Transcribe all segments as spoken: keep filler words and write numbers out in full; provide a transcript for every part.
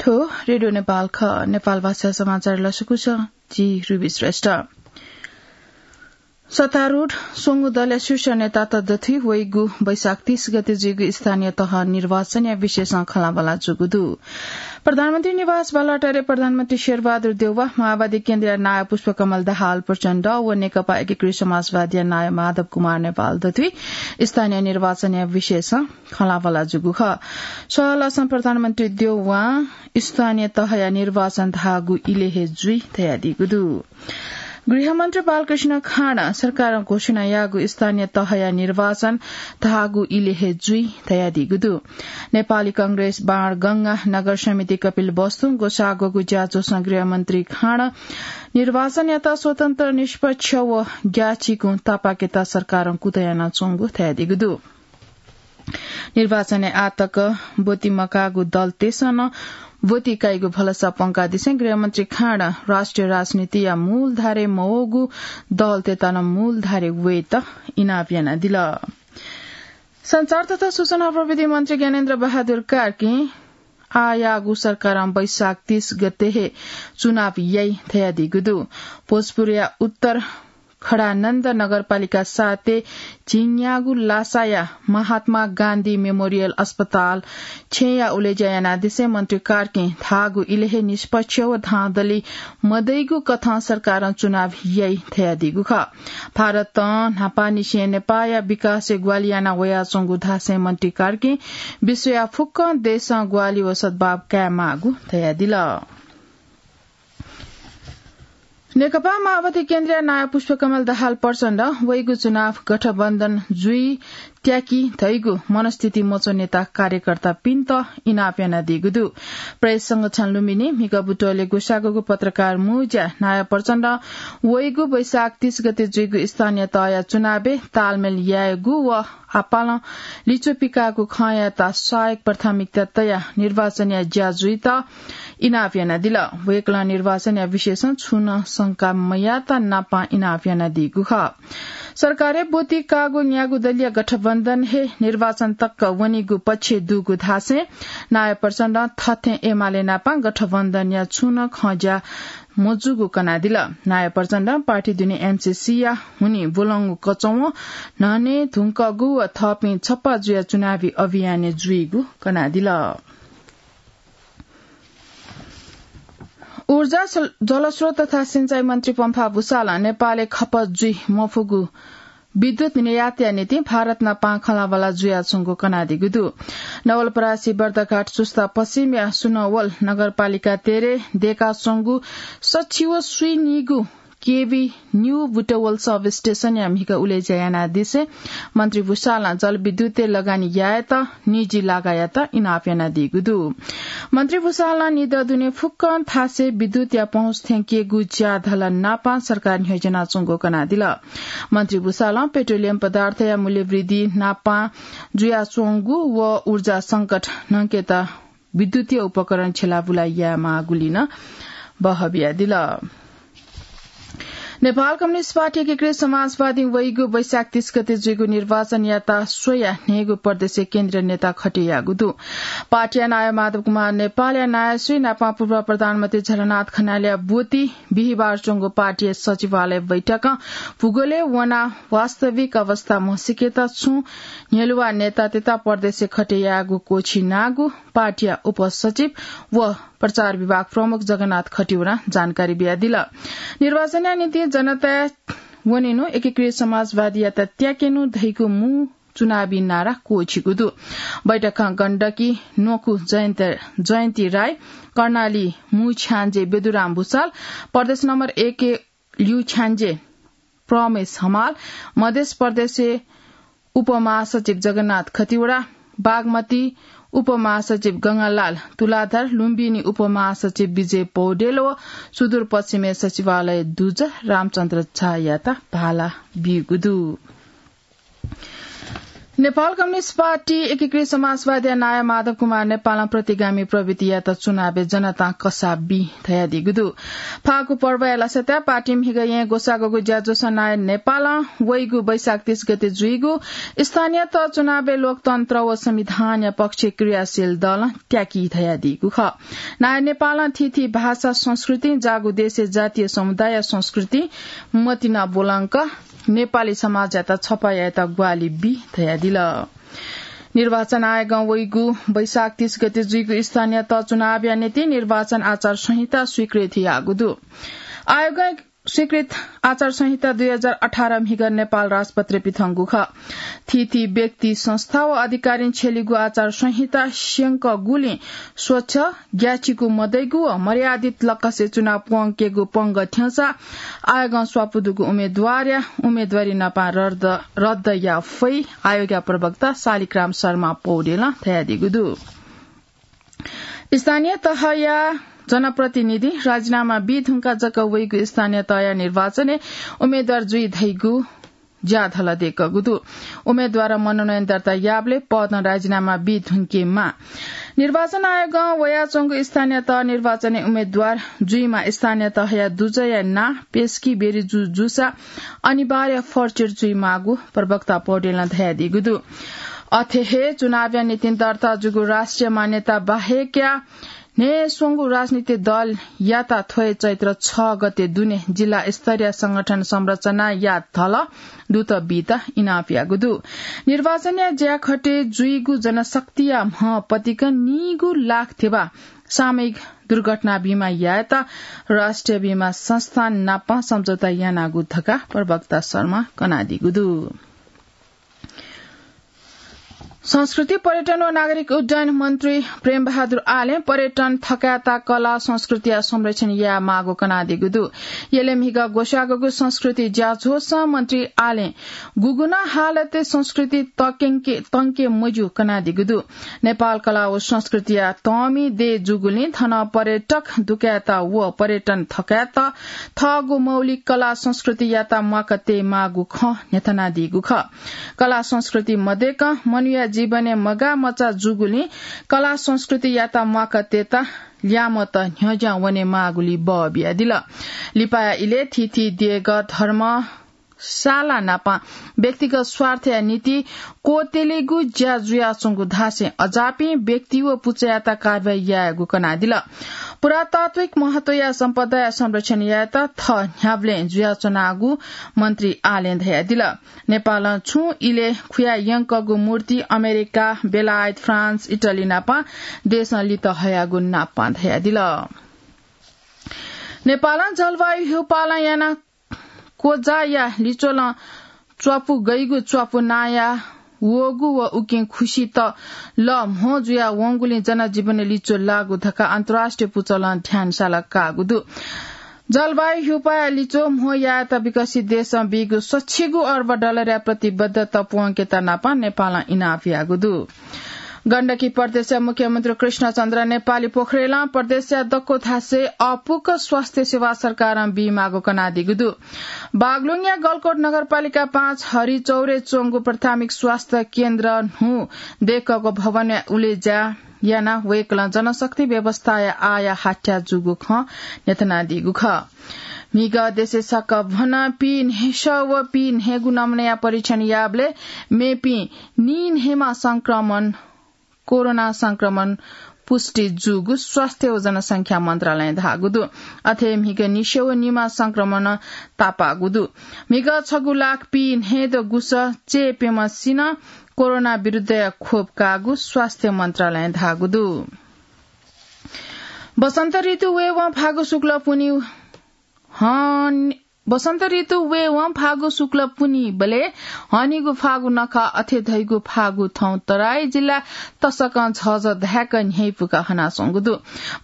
थ्व रेडियो नेपाल खः। नेपाल भाषा समाचार लसकुस, जि रुबी श्रेष्ठ। सत्तारूढ स्वंगू दलया शीर्ष नेतात दथुइ वइगु वैशाख तीस गते जुइगु स्थानीय तह निर्वाचनया विषयसं खँल्हाबल्हा जूगु दु। प्रधानमन्त्री निवास बालुवाटारय् प्रधानमन्त्री शेरबहादुर देउवा, माओवादी केन्द्रया नायः पुष्पकमल दाहाल प्रचण्ड व नेकपा एकीकृत समाजवादीया नायः माधव कुमार नेपाल दथुइ स्थानीय निर्वाचनया विषयसं खँल्हाबल्हा जूगु खः। सहलसं प्रधानमन्त्री देउवां स्थानीय तहया निर्वाचन धाःगु इलय् हे जुइ धयादीगु दु। गृहमन्त्री बालकृष्ण खाँडं सरकारं घोषणा याःगु स्थानीय तहया निर्वाचन धाःगु इलय् हे जुइ धयादीगु दु। नेपाली कांग्रेस बाँडगंगा नगर समिति कपिलवस्तुं ग्वसाःगु ज्याझ्वलं गृहमन्त्री खाँडं निर्वाचनयात स्वतन्त्र, निष्पक्ष व ग्याःचिकुं तापाकेत सरकारं कुतः यानाच्वंगु धयादीगु दु। निर्वाचनय् आःतक ब्वति मकाःगु दलतय्सं नं ब्वति काइगु भलसा प्वंकादिसें गृहमन्त्री खाँडं राष्ट्रिय राजनीतिया मूलधारय् मवःगु दलतय्त नं मूलधारय् वयेत इनाप यानादिल। सञ्चार तथा सूचना प्रविधि मन्त्री ज्ञानेन्द्र बहादुर कार्कीं आःयाःगु सरकारं वैशाख तीस गते हे चुनाव याइ धयादीगु दु। भोजपुरया उत्तर खडानन्द नगरपालिका सातय् झिंन्यागू लासाया महात्मा गान्धी मेमोरियल अस्पताल छेँया उलेज्या यानादिसें मन्त्री कार्कीं धाःगु इलय् हे निष्पक्ष व धाँधली मदइगु कथं सरकारं चुनाव याइ धयादीगु खः। भारतं न्हापांनिसें नेपाःया विकासय् ग्वाहालि याना वयाच्वंगु धासें मन्त्री कार्कीं विश्वया फुक्क देशं ग्वाहालि व सद्भाव कायेमाःगु धयादिल। नेकपा माओवादी केन्द्रया नायः पुष्पकमल दाहाल प्रचण्डं वइगु चुनाव गठबन्धन जुइ त्याकी धइगु मनस्थिति मच्वनेत कार्यकर्तापिन्त इनाप यानादीगु दु। प्रेस संरक्षण लुम्बिनी म्हिगः बुटवलय् ग्वसाःगु पत्रकार मुँज्या नायः प्रचण्डं वइगु वैशाख तीस गते जुइगु स्थानीय तहया चुनावय् तालमेल यायेगु व आपालं लिच्वः पिकाःगु खँयात सहायक प्राथमिकता तयाः निर्वाचनया ज्या जुइत इनाप यानादिल। वय्कलं निर्वाचनया विषयसं छुं नं शंका मयाःत नापां इनाप यानादीगु खः। सरकारय् ब्वति काःगु न्यागू दलीय गठबन्धन हे निर्वाचन तक वनीगु पक्ष दुगु धासें नायः प्रचण्डं थथें एमाले नापां गठबन्धनया छुं नं खँज्या मजूगु कनादिल। नायः प्रचण्डं पार्टी दुने एमसीसीया हुनिं ब्वलंगु कचवं न्हने धुंकःगु व थःपिं छप्पा जुयाः चुनावी अभियानय् जुइगु कनादिल। ऊर्जा, सल-, जलस्रोत तथा सिँचाइ मन्त्री पम्फा भुसालं नेपालय् खपत जुइ मफुगु विद्युत निर्यातया निंतिं भारत नापां खँल्हाबल्हा जुयाच्वंगु कनादीगु दु। नवलपरासी बर्दघाट चुस्ता पश्चिमया सुनवल नगरपालिका तेह्रय् दय्काच्वंगु सछि व स्वीनिगू केभी न्यू बुटवल सब स्टेशनया म्हिगः उलेज्या यानादिसें मन्त्री भुसालं जलविद्युतय् लगानी यायेत निजी लागायात इनाप यानादीगु दु। मन्त्री भुसालं निदँ दुने फुक्कं थासय् विद्युतया पहुँच थ्यंकेगु ज्या धला नापां सरकार न्ह्यज्यानाच्वंगु कनादिल। मन्त्री भुसालं पेट्रोलियम पदार्थया मूल्य वृद्धि नापां जुयाच्वंगु व ऊर्जा संकट न्हंकेत विद्युतीय उपकरण छ्यलाबुला यायेमाःगुलिं नं बहः बियादिल। नेपाल कम्युनिस्ट पार्टी एकीकृत समाजवादीं वइगु वैशाख तीस गते जुइगु निर्वाचनयात स्वयाः न्हय्गू प्रदेशय् केन्द्रीय नेता खटे याःगु दु। पार्टीया नायः माधव कुमार नेपालया नायःसुइ नापां पूर्व प्रधानमन्त्री झलनाथ खनालया ब्वति बिहिबार च्वंगु पार्टीया सचिवालय बैठकं भूगोलय् वनाः वास्तविक अवस्था म्हसीकेत छुं न्ह्यलुवा नेतातय्त प्रदेशय् खटे याःगु क्वःछिनागु पार्टीया उपसचिव व प्रचार विभाग प्रमुख जगन्नाथ खतिवडां जानकारी बियादिल। निर्वाचनया निंतिं जनताय् वनेनु, एकीकृत समाजवादीयात त्याकेनु धइगु मू चुनावी नारा क्वःछिगु दु। बैठकं गण्डकी न्वकू जयन्त, जयन्ती राई, कर्णाली मू छ्याञ्जे बेदुराम भुसाल, प्रदेश नम्बर एक ल्यू छ्याञ्जे प्रमेश हमाल, मधेस प्रदेशय् उपमहासचिव जगन्नाथ खतिवडा, बागमती उपमहासचिव गंगालाल तुलाधर, लुम्बिनी उपमहासचिव विजय पौडेल व सुदूरपश्चिमय् सचिवालय दुजः रामचन्द्र झायात भाला बीगु दु। नेपाल कम्युनिस्ट पार्टी एकीकृत समाजवादया नायः माधव कुमार नेपालं प्रतिगामी प्रवृत्तियात चुनावय् जनतां कसाः बी धयादीगु दु। फागु पर्वया लसताय् पार्टी म्हिगः येँ ग्वसाःगु ज्याझ्वःसं नायः नेपालं वइगु वैशाख तीस गते जुइगु स्थानीय तह चुनावय् लोकतन्त्र व संविधानया पक्षय् क्रियाशील दलं त्याकी धयादीगु खः। नायः नेपालं थीथी भाषा, संस्कृति, जागु देशय् जातीय समुदाय, संस्कृति मतिना ब्वलंक नेपाली समाजयात छपा यायेत ग्वाहालि बी धयादिल। निर्वाचन आयोगं वइगु वैशाख तीस गते जुइगु स्थानीय तह चुनावया निंतिं निर्वाचन आचार संहिता स्वीकृत याःगु दु। आयोगं स्वीकृत आचार संहिता दुई हजार अठार म्हिगः नेपाल राजपत्रय् पिथंगु खः। थीथी व्यक्ति, संस्था व अधिकारीं छ्यलीगु आचार संहिता स्यंकगुलिं स्वच्छ, ग्याःचिकु मदइगु व मर्यादित लक्कसे चुनाव प्वंकेगु पंगः थ्यंसा आयोगं स्वापू दुगु उम्मेदवारया उम्मेदवारी नापं रद्द, रद्द याये फइ आयोगया प्रवक्ता शालिग्राम शर्मा पौडेलं धयादीगु दु। स्थानीय तहया जनप्रतिनिधि राजीनामा बी धुंकाः जक वइगु स्थानीय तहया निर्वाचनय् उम्मेदवार जुइ धइगु ज्याझ्वलं दय्कूगु दु। उम्मेदवारं मनोनयन दर्ता याःबलय् पदं राजीनामा बी धुंकेमाः। निर्वाचन आयोगं वयाच्वंगु स्थानीय तह निर्वाचनय् उम्मेदवार जुइमाः स्थानीय तहया दुजःया नां पेस्की बेरी जू जूसा अनिवार्य फर्चेट जुइमाःगु प्रवक्ता पौडेलं धयादीगु दु। अथे हे चुनावया निंतिं दर्ता जूगु राष्ट्रिय मान्यता बाहेकया न्हय्स्वंगु राजनीतिक दलयात थ्व हे चैत्र छ गते दुने जिल्ला स्तरीय संगठन संरचनाया धलः दुत बीत इनाप याःगु दु। निर्वाचनया ज्याखँय् जुइगु जनशक्तिया म्ह पतिकं नीगू लाख धिबा सामूहिक दुर्घटना बिमा यायेत राष्ट्रिय बिमा संस्थान नाप सम्झौता यानागु धकाः प्रवक्ता शर्मां कनादीगु दु। संस्कृति, पर्यटन व नागरिक उड्डयन मन्त्री प्रेमबहादुर आलें पर्यटन थकायेत कला संस्कृतिया संरक्षण यायेमाःगु कनादीगु दु। यलय् म्हिगः ग्वसाःगु संस्कृति ज्याझ्वःसं मन्त्री आलें गुगुं नं हालतय् संस्कृति तंके, तंके मज्यू कनादीगु दु। नेपाल कला व संस्कृतिया तःमि देय् जूगुलिं थन पर्यटक दुकायेत व पर्यटन थकायेत थःगु मौलिक कला संस्कृतियात म्वाका तयेमाःगु खँ न्ह्यथनादीगु खः। कला संस्कृति मदय्कं मनूया जीवनय् मगाःमचा जूगुलिं कला संस्कृतियात म्वाका तयेत ल्याय्म्हत न्ह्यज्यां वनेमाःगुली बः बियादिल। लिपाया इलय् थीथी देगः, धर्म, साला नाप व्यक्तिगत स्वार्थया निंतिं क्वत्यलीगु ज्या जुयाच्वंगु धासें अजापिं व्यक्ति व पुचःयात कारवाही यायेगु कनादिल। पुरातात्विक महत्वया सम्पदाया संरक्षण यायेत थः न्ह्याबलें जुयाच्वनागु मन्त्री आलें धयादिल। नेपालं छुं इलय् खुया यंकःगु मूर्ति अमेरिका, बेलायत, फ्रान्स, इटली नाप देशं लित हयागु नापं धयादिल। नेपालं जलवायु ह्यूपालं यानाः क्वजाःया लिच्वलं च्वापु गइगु च्वापु नाया वःगु व उकिं खुसित लः म्हो जुया वंगुलिं जनजीवन लिच्वः लाःगु धकाः अन्तर्राष्ट्रिय पुचलं ध्यान साला काःगु दु। जलवायु ह्यूपाया लिच्वः म्हो यायेत विकसित देशं बीगु सच्छिगू अर्ब डलरया प्रतिबद्धता प्वंकेत नाप नेपालं इनाप याःगु दु। गण्डकी प्रदेशया मुख्यमन्त्री कृष्णचन्द्र नेपाली पोखरेलं प्रदेशया दक्व थासय् अःपुक स्वास्थ्य सेवा सरकारं बीमाःगु कनादीगु दु। बागलुङया गलकोट नगरपालिका पाँच हरिचौरय् च्वंगु प्राथमिक स्वास्थ्य केन्द्र न्हू दय्कःगु भवनय् उलेज्या यानाः वय्कलं जनशक्ति व्यवस्थाया आःया हाथ्या जूगु खँ न्ह्यथनादीगु खः। म्हिगः देशय् सकभनं पीन्हय्सः व पीन्हय्गू नमुनाया परीक्षण याःबलय् मेपिं नीन्हय्मा संक्रमण कोरोना संक्रमण पुष्टि जूगु स्वास्थ्य व जनसंख्या मन्त्रालयं धाःगु दु। अथे म्हिगः निस्यू निमा संक्रमण तापाःगु दु। म्हिगः छगू लाख पीन्हय्दँ गुसः चय्प्यम्हसिनं कोरोना विरुद्धया खोप काःगु स्वास्थ्य मन्त्रालयं धाःगु दु। वसन्त ऋतु वयेवं फागु शुक्ल पुन्हि हन, वसन्त ऋतु वयेवं फागु शुक्ल पुन्हिबलय् हनीगु फागु नखः अथे धइगु फागु थौं तराई जिल्ला तसकं झःझः धाय्क न्ह्यइपुक हनाच्वंगु दु।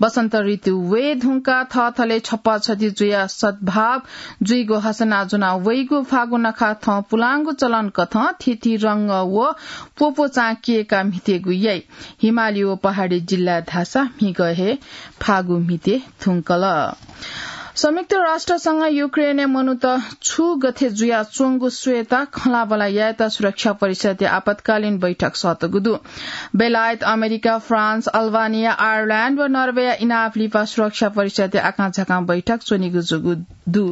वसन्त ऋतु वये धुंकाः थःथलय् छप्पा छधि जुयाः सद्भाव जुइगु हसना ज्वना वइगु फागु नखः थौं पुलांगु चलन कथं थीथी रंग व प्वप्वचां कय्काः म्हितेगु याइ। हिमाली व पहाडी जिल्ला धाःसा म्हिगः हे फागु म्हिते धुंकल। संयुक्त राष्ट्रसंघ युक्रेनय् मनूत छु गथे जुयाच्वंगु स्वयेत खँल्हाबल्हा यायेत सुरक्षा परिषदया आपतकालीन बैठक सःतगु दु। बेलायत, अमेरिका, फ्रान्स, अल्बानिया, आयरल्याण्ड व नर्वेया इनाप लिपा सुरक्षा परिषदया आकांझाकां बैठक च्वनीगु जूगु दु।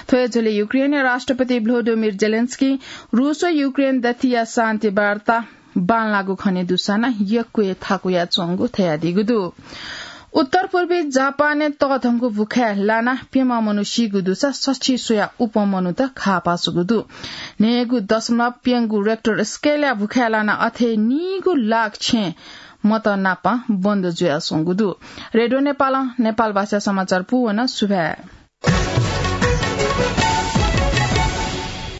थ्व हे झ्वलय् युक्रेनया राष्ट्रपति भ्लोदिमिर जेलेन्स्की रूस व युक्रेन दथिया शान्ति वार्ता बांलाःगु खने दुसां नं यक्व हे थाकुयाच्वंगु धयादीगु दु। उत्तर पूर्वी जापानय् तःधंगु भुखाय् लानाः प्यम्ह मनू सीगु दुसा सछि स्वयाः उप्वः मनूत घाः पाःगु दु। न्हय्गू दशमलव प्यंगू रेक्टर स्केलया भुखाय् लानाः अथे नीगू लाख छेँ मत नाप बन्द जुयाच्वंगु दु। रेडियो नेपालं नेपाल भाषा समाचार पूवन। सुभाय्।